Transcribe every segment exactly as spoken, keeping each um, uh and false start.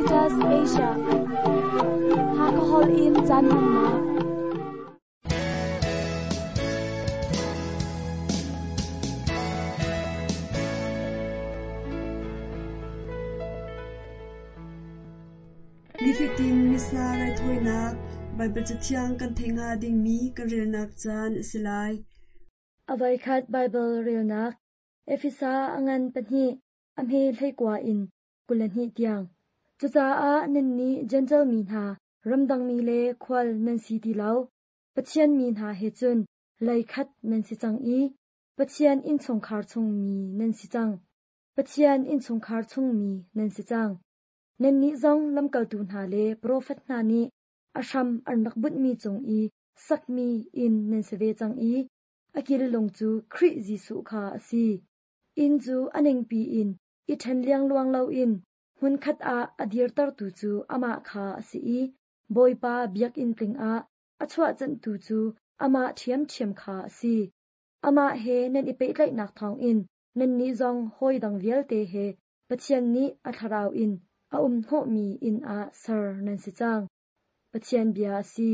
Adventist Asia. Hakahol in caan hmannak. Nifatin Missa raithawinak Baibal Cathiang kan theih hnga dingmi kan relnak caan a si lai. A voikhat Baibal relnak Efesa a ngan pahnih a hme hleikua in kul le hnih tiang. Cucaah nannih Jentail mi hna, ramdangmi le khual nan si ti lo. Pathian mi hna he cun leikhat nan si cang i Pathian innchungkhar chungmi nan si cang. Pathian innchungkhar chungmi nan si cang. Nannih zong lamkaltu hna le profet hna nih a hram an rak bunhmi cung i sakmi inn nan si ve cang i a kil lung cu Khrih Jesuh kha a si. Inn cu a ningpi in i ṭhen liangluang loin hmunkhat ah a dirtertu cu amah kha a si i Bawipa biakinn tling ah a chuahcanhtu cu amah ṭhiamṭhiam kha a si. Amah he nan i pehtlaihnak thawngin nannih zong hawi dang vialte he Pathian nih a thlarau in a um hnawhmi inn ah ser nan si cang. Pathian bia a si.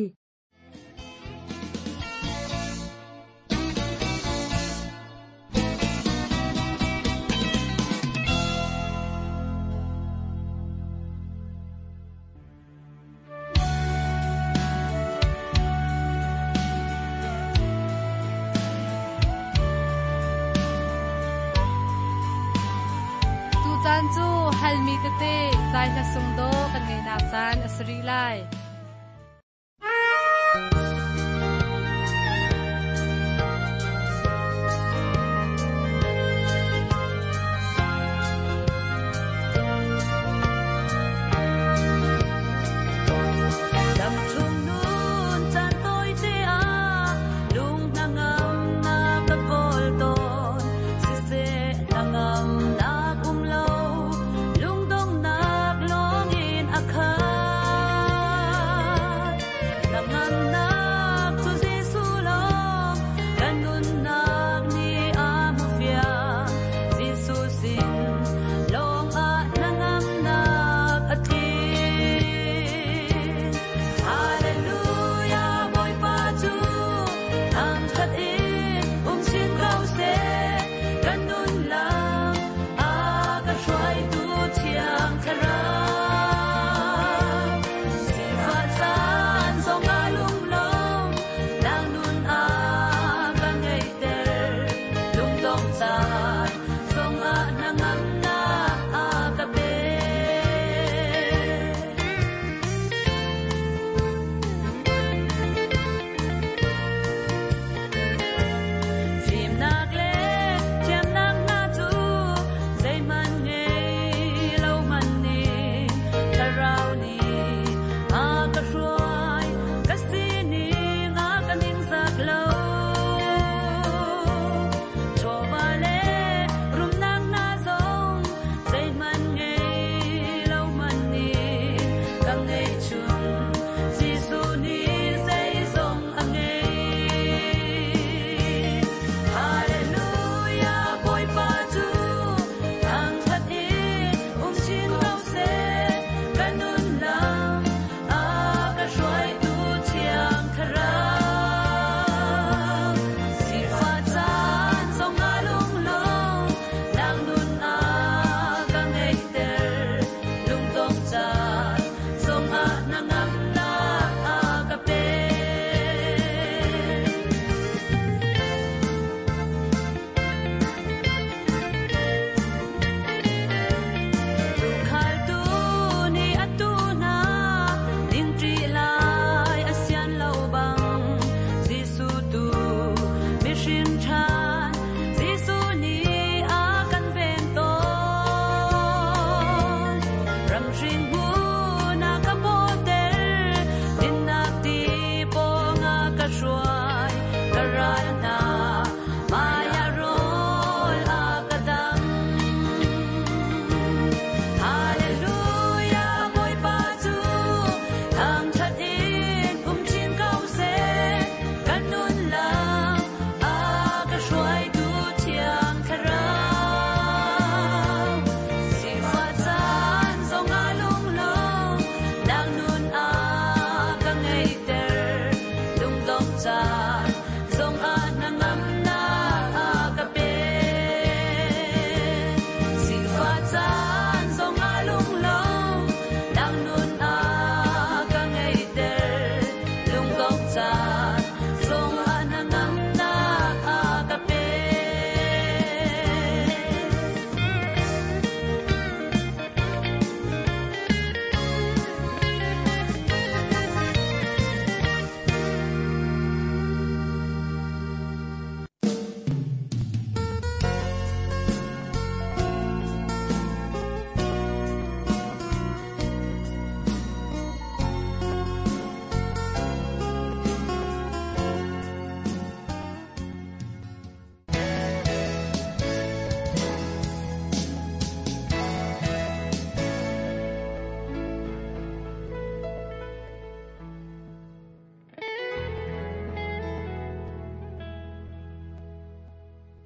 Tucaan cu halmi tete zai hla sung dawh kan ngeihnak caan a si rih lai. Dam chung nun caan tawite ah lung hnangamnak ka kawl tawn. Siseh hnangamnak um lo, lungdonghnak lawngin a khat.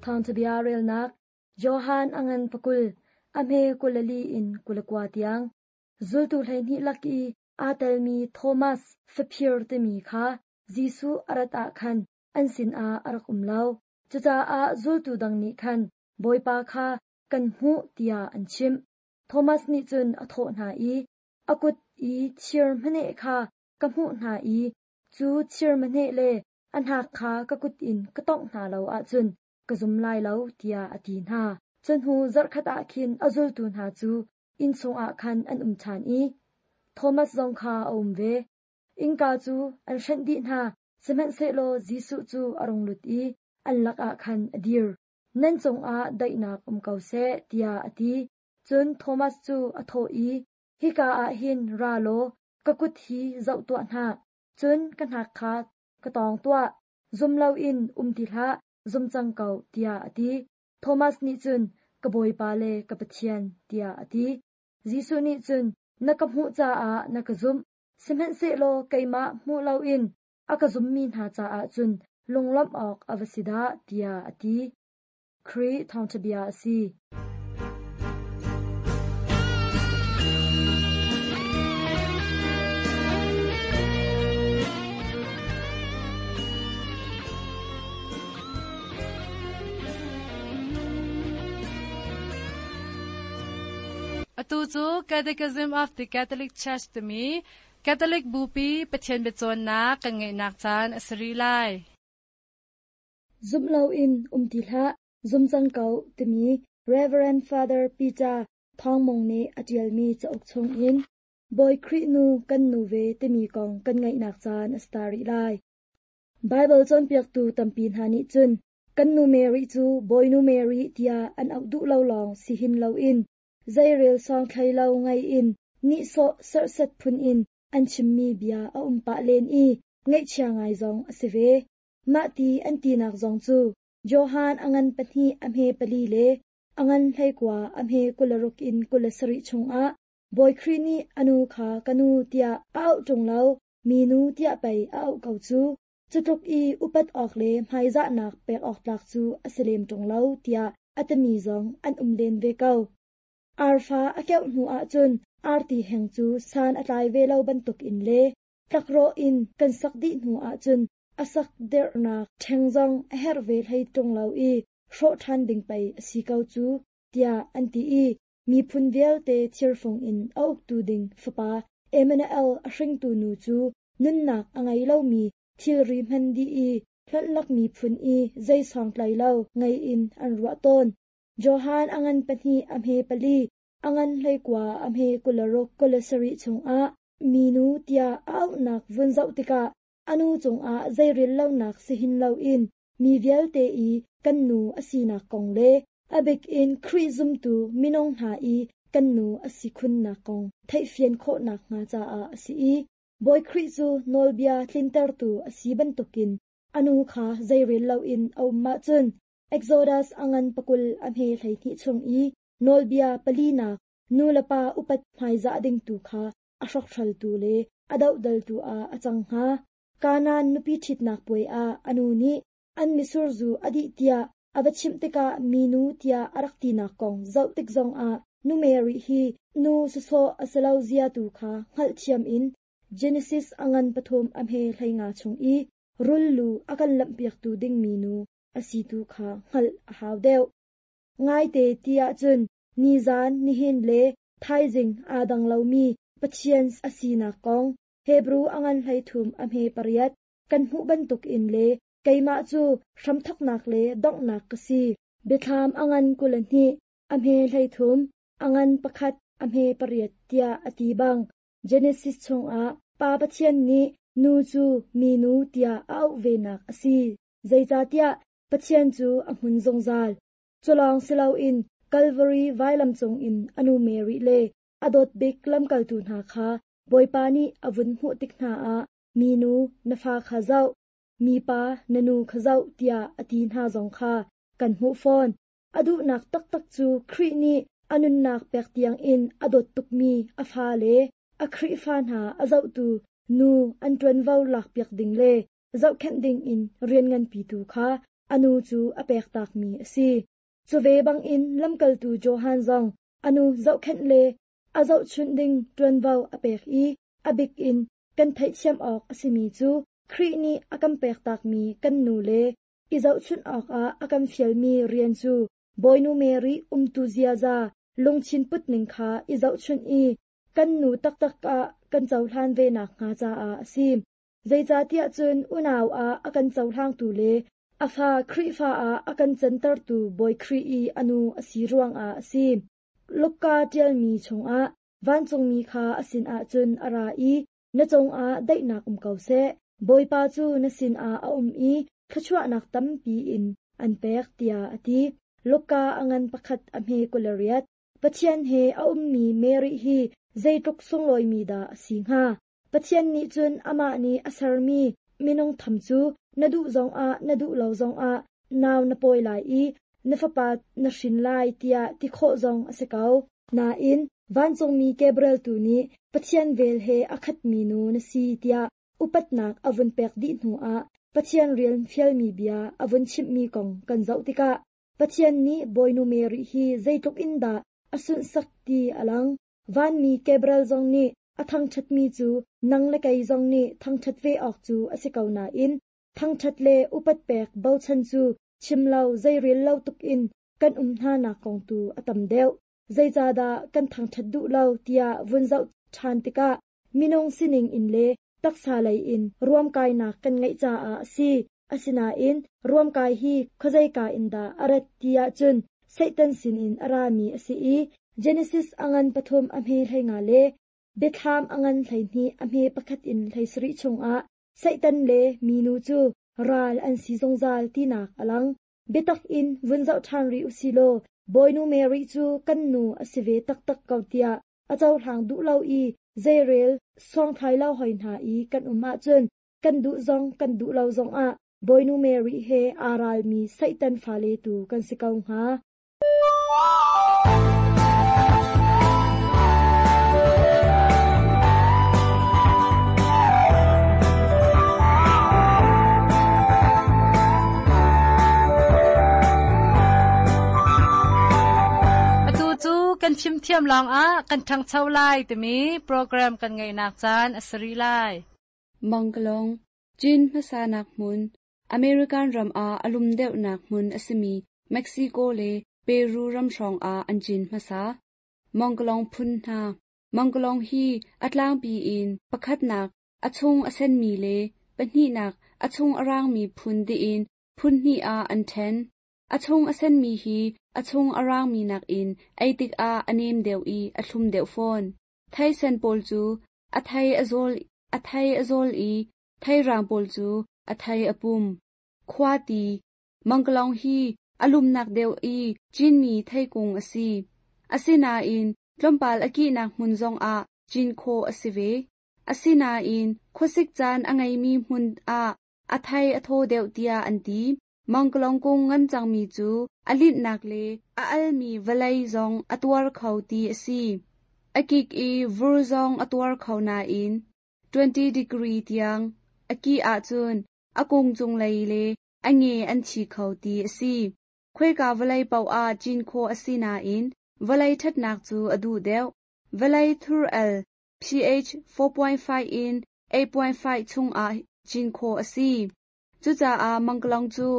Thawngṭhabia relnak Johan a ngan pakul, a hme kulali in kulakua tiang. Zultu hleihnih lak i aa telmi Thomas faphir timi kha Jesuh a rat ah khan an sinah a rak um lo. Cucaah zultu dang nih khan Bawipa kha kan hmuh tiah an chimh. Thomas nih cun a thawh hna i, a kut i thir hmaneh kha ka hmuh hna i cu thir hmaneh le a hnak kha ka kut in ka tongh hna lo ahcun ka zum lai lo tiah a ti hna. Cu hnu zarhkhat ah khin a zultu hna cu inn chungah khan an um ṭhan i Thomas zong kha a um ve. Innka cu an hrenh dih hna, sihmanhsehlaw Jesuh cu a rung lut i an lakah khan a dir. Nan cungah daihnak um ko seh, tiah a ti. Cun Thomas cu a thawh i, hika ah hin ra law ka kut hi zoh tuah hna, cun ka hnak kha ka tawng tuah. Zum loin um ti hlah, zum cang ko, tiah a ti. Thomas nih cun, ka Bawipa le ka Pathian, tiah a ti. Jesuh nih cun, na ka hmuh caah na ka zumh, sihmanhsehlaw keimah hmuh loin a ka zummi hna caah cun lunglawmh awk a va si dah, tiah a ti. Khrih thawngṭhabia a si. Atu cu Catechism of the Catholic Church timi Catholic Bupi Pathian biacawnnak kan ngeihnak caan a si rih lai. Zum loin um ti hlah, zum cang ko timi Reverend Father Peter Thawngmung nih a ṭialmi cauk chungin Bawi Khrih nu kan nu ve timi kong kan ngaihnak caan a si ta rih lai. Bible cawnpiaktu tampi hna nih cun kan nu Mary cu Bawinu Mary tiah an auh duh lo lawng si hin loin zeirel sawng thlei lo ngai in nihsawh serhsat phun in an chimmi bia a um pah len i ngaihchia ngai zong a si ve. Mah ti an tinak zong cu Johan a ngan pahnih a hme pali le a ngan hleikua a hme kularuk in kulasarih chungah Bawi Khrih nih a nu kha ka nu tiah a auh ṭung lo, mi nu tiah pei a auh ko cu. Cutluk i upat awk le hmaizahnak pek awk tlak cu a si lem ṭung lo tiah a timi zong an um len ve ko. Arfa a keuh hnu ahcun arti heng cu san a tlai ve lo bantuk in le tlakrawh in kan sak dih hnu ahcun a sak derhnak ṭheng zong a herh ve hlei ṭung lo i hrawh ṭhan ding pei a si ko cu tiah an ti i miphun vialte thirfung in a uktu ding fapa Emmanuel a hringtu nu cu nunnak a ngei lomi thilri hman dih i hlonhlak miphun i zeisawng tlai lo ngei in an ruah tawn. Johan a ngan pahnih a hme pali, a ngan hleikua a hme kularuk kulasarih chungah minu tiah a auhnak vun zoh tikah a nu cungah zeirel lonak si hin loin mi vialte i kan nu a sinak kong le a bik in Khrih zumtu minung hna i kan nu a si khunnak kong theihfian khawhnak hnga caah a si i Bawi Khrih cu nawlbia tlintertu a si bantukin a nu kha zeirel loin a um ahcun Exodus a ngan pakul a hme hleihnih chung i nawlbia palinak nu le pa upat hmaizah ding tu kha a hrokhhraltu le a dohdaltu ah a cang hnga. Kanaan nupi ṭhitnak puai ah a nu nih an misurzu a dih tiah a va chimh tikah minu tiah a rak tinak kong zoh tik zongah nu Mary hi nu sawsawh a si lo zia tu kha hngalhthiam in Genesis a ngan pathum a hme hleinga chung i rullu a kan lamhpiaktu dingmi nu a si tu kha hngalh a hau deuh. Ngaite ti ahcun nizan nihin le thaizing aa dang lomi Pathian a sinak kong Hebrew a ngan hleithum a hme pariat kan hmuh bantuk in le keimah cu hramthoknak le donghnak ka si. Biathlam a ngan kulahnih a hme hleithum a ngan pakhat a hme pariat tiah a ti bang Genesis chungah Pa Pathian nih nu cu minu tiah a auh venak a si. Zeicahtiah Pathian cu a hmun zungzal. Culawng si loin Calvary vailam cungin anu Mary le a dawt bik lamkaltu hna kha Bawipa nih a vun hmuh tik hna ah minu na fa kha zoh, mipa na nu kha zoh tiah a ti hna zong kha kan hmuh fawn. A duhnak taktak cu Khrih nih a nunnak pek tiang in a dawt tukmi a fa le a Khrihfa hna a zohtu nu an ṭuanvo lakpiak ding le zohkhenh ding in rian nganpi tu kha anu cu a pektak mi a si. Cu ve bangin lamkaltu Johan zong anu zohkhenh le a zohchunh ding ṭuanvo a pek i a bik in kan theihthiam awk a simi cu Khrih nih a kan pektakmi kan nu le i zohchunh awkah a kan fialmi rian cu Bawinu Mary umtu ziaza lungthin putning kha i zohchunh i kan nu taktak ah kan cohlan ve nakhnga caah a si. Zeicahtiah cun unau ah a kan cohlangtu le a fa Khrihfa ah a kan cantertu Bawi Khrih i a nu a si ruangah a si. Luka ṭialmi chungah vancungmi kha a sinah cun a ra i na cungah daihnak um ko seh. Bawipa cu na sinah a um i thluachuahnak tampi in an pek tiah a ti. Luka a ngan pakhat a hme kul le riat. Pathian he a ummi Mary hi zeitluk sunglawimi dah a si hnga. Pathian nih cun amah nih a sermi minung tham cu na duh zongah na duh lo zongah nau na pawi lai i na fapa na hrin lai tiah ti khawh zong a si ko. Nain vancungmi Gabriel tu nih Pathian vel he a khatmi nu na si tiah upatnak a vun pek dih hnuah Pathian rian fialmi bia a vun chimhmi kong kan zoh tikah Pathian nih Bawinu Mary hi zeitluk in dah a sunhsak ti a lang. Vanmi Gabriel zong nih a thangṭhatmi cu nang le kei zong nih thangṭhat ve awk cu a si ko nain thangṭhat le upat pek bochan cu chim lo zeirel lo tukin kan um hna nak kong tu a tam deuh. Zeicahdah kan thangṭhat duh lo tiah vun zoh ṭhan tikah minung sining in le taksa lei in ruamkainak kan ngeih caah a si. Asinain ruamkai hi khuazeika in dah a rat ti ahcun Satan sinin a rami a si i Genesis a ngan pathum a hme hlei nga le Biathlam a ngan hleihnih a hme pakhat in hleisarih chungah Satan le minu cu ral an si zungzal tinak a lang. Biatak in vun zoh ṭhan rih usilaw Bawinu Mary cu kan nu a si ve taktak ko tiah a cohlang duh lo i zeirel sawngthlai lo hoi hna i kan um ahcun kan duh zong kan duh lo zongah Bawinu Mary he aa ralmi Satan fale tu kan si ko hnga. Atu cu kan fimthiam lawngah kan ṭhangcho lai timi program kan ngeihnak caan a si rih lai. Mangkalong, Chin hmasa nak hmun, American ram ah a lum deuhnak hmun a simi Mexico le Peru ram hrawng ah an cin hmasa. Mangkalong phun hna. Mangkalong hi a tlangpi in pakhatnak a chung a senmi le pahnihnak a chung a rangmi phun tiin phun hnih ah an ṭhen. A chung a senmi hi a chung a rangmi nakin ei tikah a nem deuh i a thlum deuh fawn. Thei sen pawl cu a thei a zawl, a thei a zawl i thei rang pawl cu a thei a pum. Khuati, Mangkalong hi a lumnak deuh i cinmi theikung a si. Asinain tlawmpal a kihnak hmun zongah cin khawh a si ve. Asinain khuasik caan a ngeimi hmun ah a thei a thaw deuh tiah an ti. Mangkalong kung ngan cangmi cu a linhnak le a almi vawlei zong a tuar kho ti a si. A kik i vur zong a tuar kho nain twenty degree tiang a kih ahcun a kung cunglei le a nge an thi kho ti a si. Khuaika vawlei paoh ah cin khawh a si nain vawlei ṭhatnak cu a duh deuh. Vawlei thur al pH four point five in eight point five chungah cin khawh a si. Cucaah mangkalong cu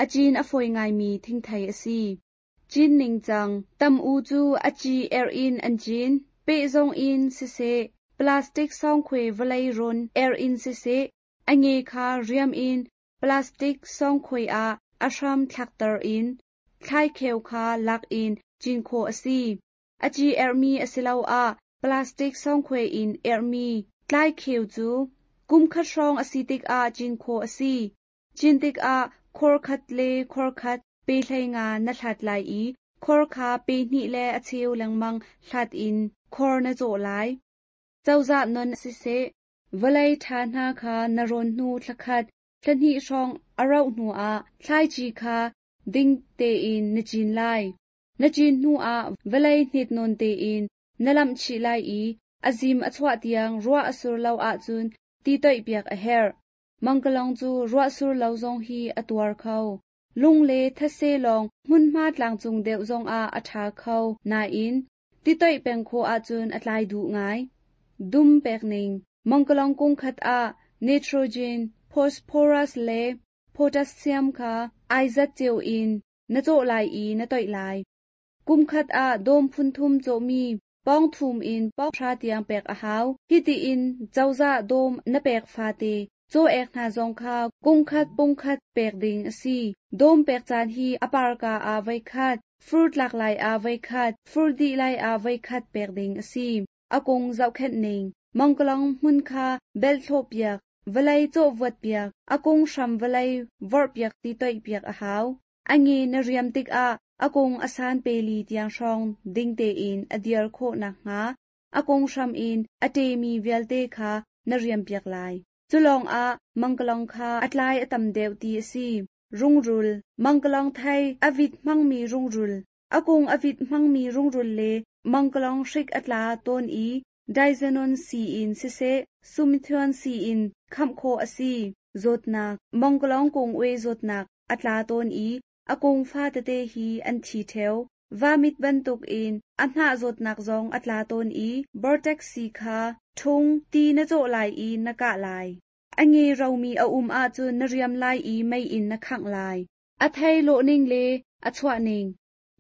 a cin a fawi ngaimi thingthei a si. Cin ningcang tam u cu a ci er in an cin, pehzong in siseh, plastic sawngkhuai vawlei rawn er in siseh, a nge kha riam in plastic sawngkhuai ah a hram thlakter in thlaikheu kha lak in cin khawh a si. A ci ermi a si lo ah plastic sawngkhuai in ermi tlaikheu cu kum khat hrawng a si tikah cin khawh a si. Cin tikah khor khat le khor khat pe hlei nga na hlat lai i khor kha pe hnih le a cheu lengmang hlat in khor na cawh lai. Cozah non siseh, vawlei ṭha hna kha na rawn hnu thlakhat, thlahnih hrawng a rauh hnuah thlaici kha ding tein na cin lai. Na cin hnuah vawlei hnit nawn tein na lamh chih lai i a zim a chuah tiang ruah a sur lo ahcun ti toihpiak a herh. Mangkalong cu ruah sur lo zong hi a tuar kho. Lung le thase lawng hmunhma tlangcung deuh zongah a ṭha kho nain titoih peng khawh ahcun a tlai duh ngai. Dum pek ning Mangkalong kung khat ah nitrogen, phosphorus le potassium kha ai zat cio in na cawh lai i na toih lai. Kum khat ah dawm phun thum cawhmi pawng thum in pawng hra tiang pek a hau. Hiti in cozah dawm na pek fate caw ek hna zong kha kung khat pung khat pek ding a si. Dawm pek caan hi a parka ah voi khat, fur tlak lai ah voi khat, fur dih lai ah voi khat pek ding a si. A kung zohkhenh ning Mangkalong hmun kha bel thlawh piak, vawlei cawh vuat piak, a kung hram vawlei vorh piak ti toih piak a hau. A nge na riam tikah a kung a san peli tiang hrawng ding tein a dir khawh nakhnga a kung hram in a ṭemi vialte kha na riam piak lai. Cu lawngah mangkalong kha a tlai a tam deuh ti a si. Rungrul Mangkalong thei a vit hmangmi rungrul a kung a vit hmangmi rungrul le mangkalong hrik a tla tawn i Diazenon sii in siseh, sumithion sii in khamh khawh a si. Zawtnak Mangkalong kung ue zawtnak a tla tawn i a kung fa tete hi an thi ṭheo. Vamit bantukin a hnah zawtnak zong a tla tawn i Vortex sii kha ṭhung ti na cawh lai i na kah lai. A nge romi a um ahcun na riam lai i mei in na khangh lai. A thei lawhning le a chuahning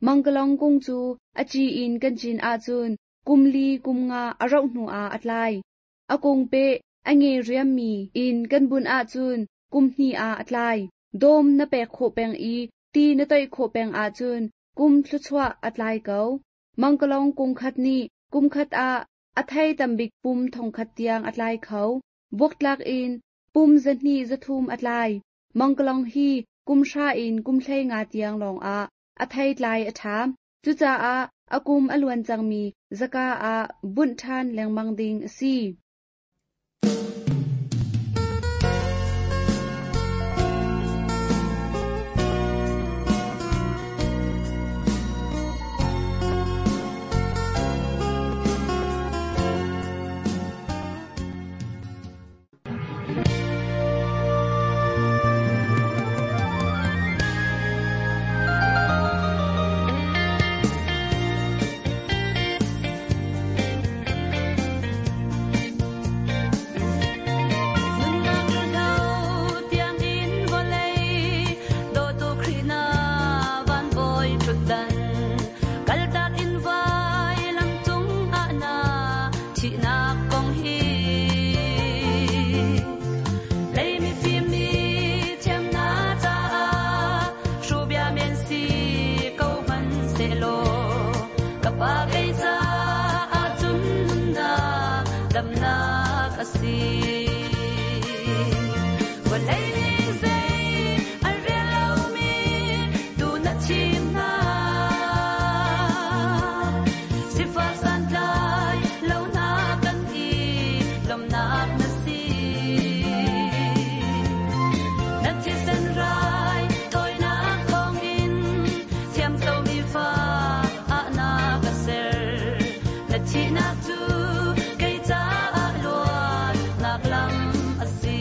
Mangkalong kung cu a ci in kan cin ahcun kum li kum nga a rauh hnu ah a tlai. A kung peh a nge riammi in kan bunh ahcun kum hnih ah a tlai. Dawm na pek khawh peng i ti na toih khawh peng ahcun kum thluachuah a tlai ko. Mangkalong kung khat nih kum khat ah a thei tambik pum thongkhat tiang a tlai kho. Buaktlak in pum zahnih zathum a tlai. Mangkalong hi kum hra in kum hlei nga tiang lawngah a thei tlai a ṭha. Cucaah a kum a luan cangmi zaka ah bunh ṭhan lengmang ding a si. Nunnak hlo tiangin vawlei dawtu Khrih na van bawi ṭhutdan kaltak in vailam cung ah na thihnak kong hi lei mifim nih thiamnak caah hruhbia men si ko hmanhsehlaw ka pa kei caah cun nunnak damnak a si. Vawlei nih zei an rel lomi tu na thim hna. Sifak santlai lo hna kan i lawmhnak na si. Na thisen rai thawinak thawngin thiamcomi fa ah na ka ser. Na thihnak cu kei caah luatnak lam a si.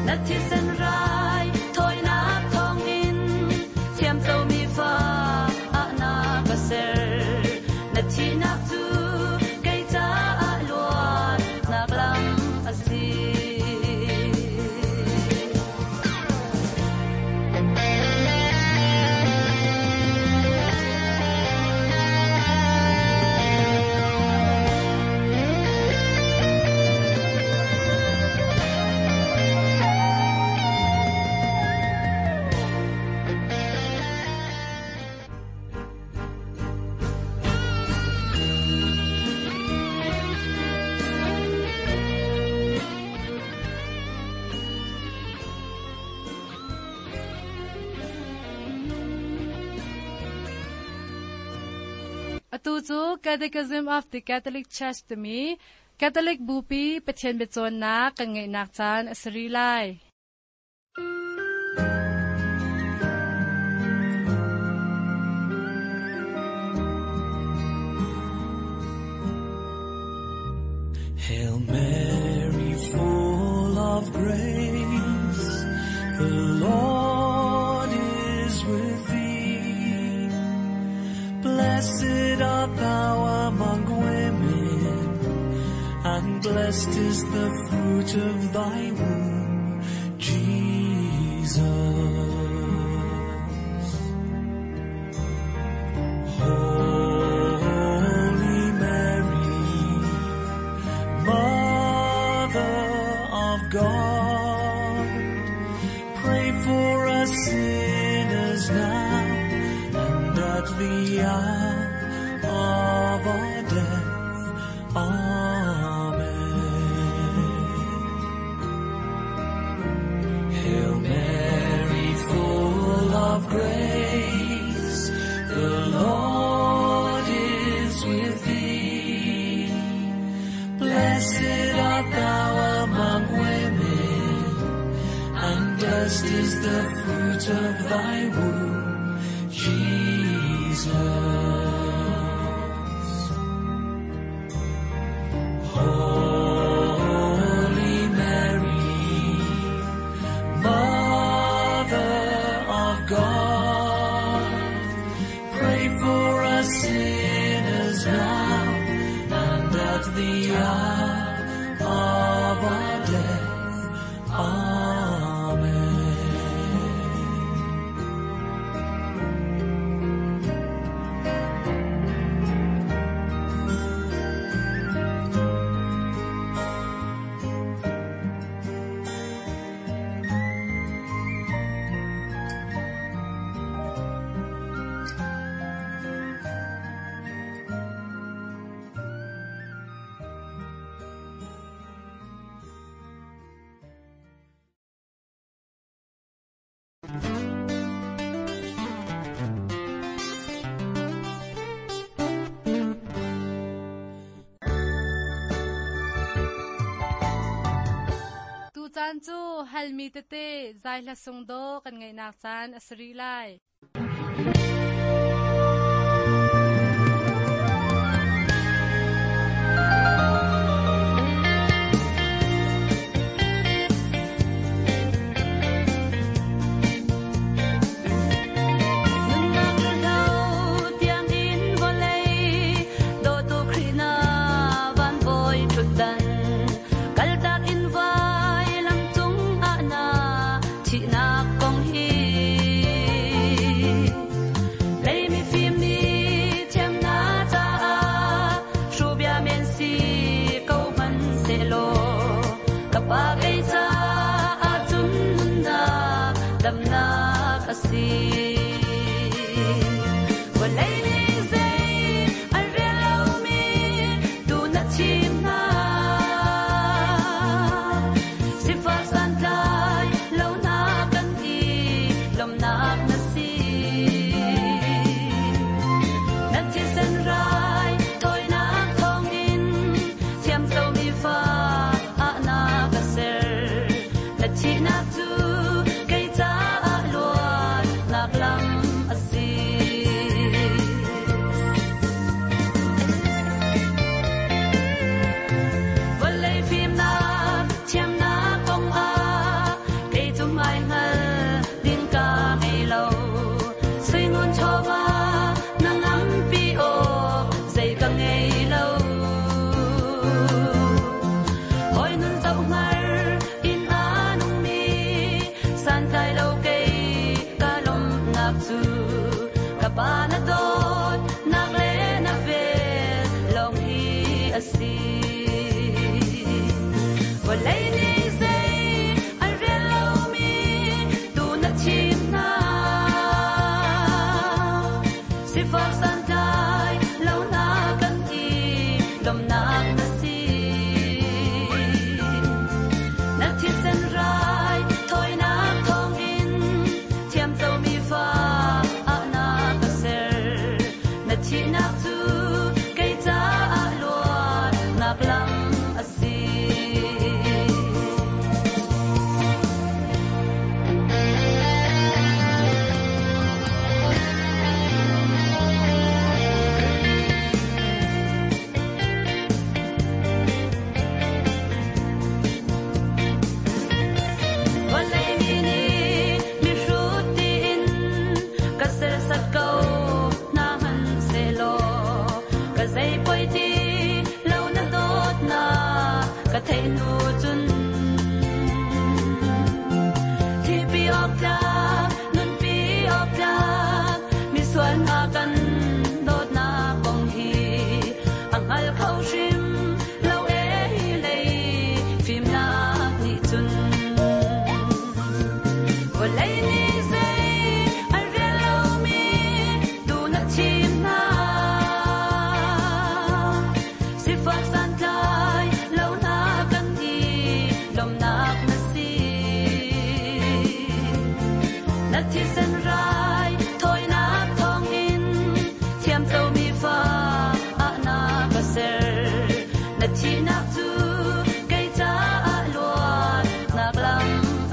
Na thisen rai thawinak thawngin thiamco mi fa ah na ka ser. Na thihnak cu kei caah luatnak lam a si. Atu cu Catechism of the Catholic Church timi Catholic Bupi Pathian biacawnnak kan ngeihnak caan a si rih lai. Hail Mary, full of grace, the Lord is with thee. Blessed art thou among women, and blessed is the fruit of thy womb, Jesus. Holy Mary, Mother of God, pray for us sinners now and at the hour of our death. Amen. Hail Mary, full of grace, the Lord is with thee. Blessed art thou among women, and blessed is the fruit of thy womb, Jesus. Holy Mary, Mother of God, pray for us sinners now and at the hour of our death. Amen. Tu caan cu halmi tete zai hla sung do kan ngeihnak caan a si rih lai. Nunnak hlo tiang in vawlei dawtu Khrih na van bawi ṭhutdan kaltak in vai lam cung ah na thihnak kong hi.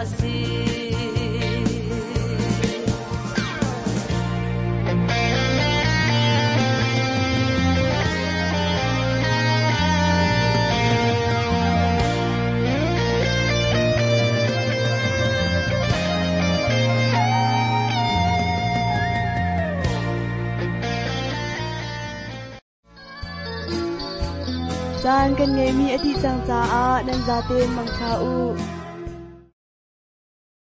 a si. Caan kan ngeimi a dih cang caah nan zaten mangtha u.